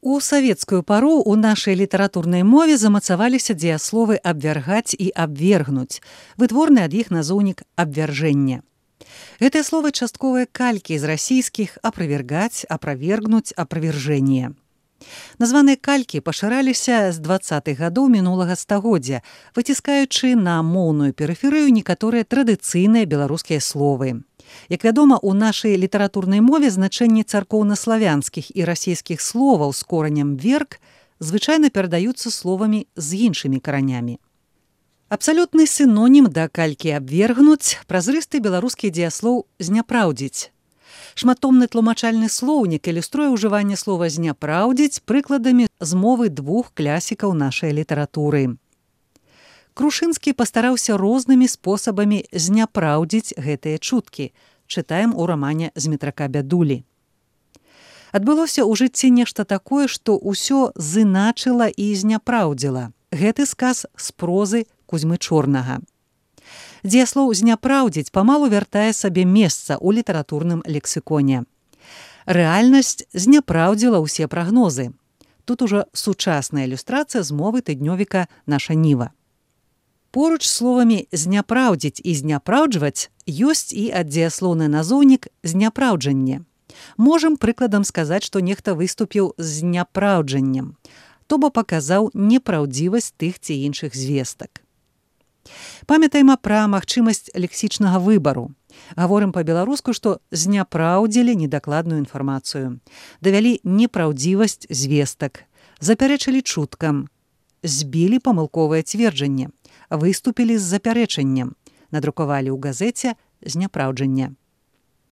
У савецкую пару ў нашай літаратурнай мове замацаваліся дзеясловы абвяргаць і абвергнуць, вытворны ад іх назоўнік абвяржэння. Гэтыя словы частковыя калькі з расійскіх аправергаць, аправергнуць, аправержэнне. Названыя калькі пашыраліся з 20-х гадоў мінулага стагоддзя, выціскаючы на моўную перыферыю некаторыя традыцыйныя беларускія словы. Як вядома, у нашай літаратурнай мове значэнні царкоўнаславянскіх і расійскіх словаў з коранем «верг» звычайна перадаюцца словамі з іншымі каранямі. Абсалютны сінонім да калькі «абвергнуць» – празрысты беларускі дзеяслоў «зняпраўдзіць». Шматтомны тлумачальны слоўнік ілюструе ўжыванне слова «зняпраўдзіць» прыкладамі з мовы двух класікаў нашай літаратуры. Крушынскі пастараўся рознымі спосабамі зняпраўдзіць гэтыя чуткі. Чытаем у рамане «Змітрака Бядулі». Адбылося ў жыцці нешта такое, што ўсё зыначыла і зняпраўдзіла. Гэты сказ з прозы Кузьмы Чорнага. Дзеяслоў «зняпраўдзіць» памалу вяртае сабе месца ў літаратурным лексіконе. Рэальнасць зняпраўдзіла ўсе прагнозы. Тут ужо сучасная ілюстрацыя з мовы тыднёвіка «Наша Ніва». Поруч з словамі «зняпраўдзіць» і «зняпраўджваць» ёсць і аддзеяслоўны назоўнік «зняпраўджанне». Можам прыкладам сказаць, што нехта выступіў з зняпраўджаннем, то бо паказаў непраўдзівасць тых ці іншых звестак. Памятаем пра магчымасць лексічнага выбару. Гаворым па-беларуску, што зняпраўдзілі недакладную інфармацыю, давялі непраўдзівасць звестак, запярэчылі чуткам, збілі памылковае цверджанне, выступілі з запярэчаннем, надрукавалі ў газеце зняпраўджанне.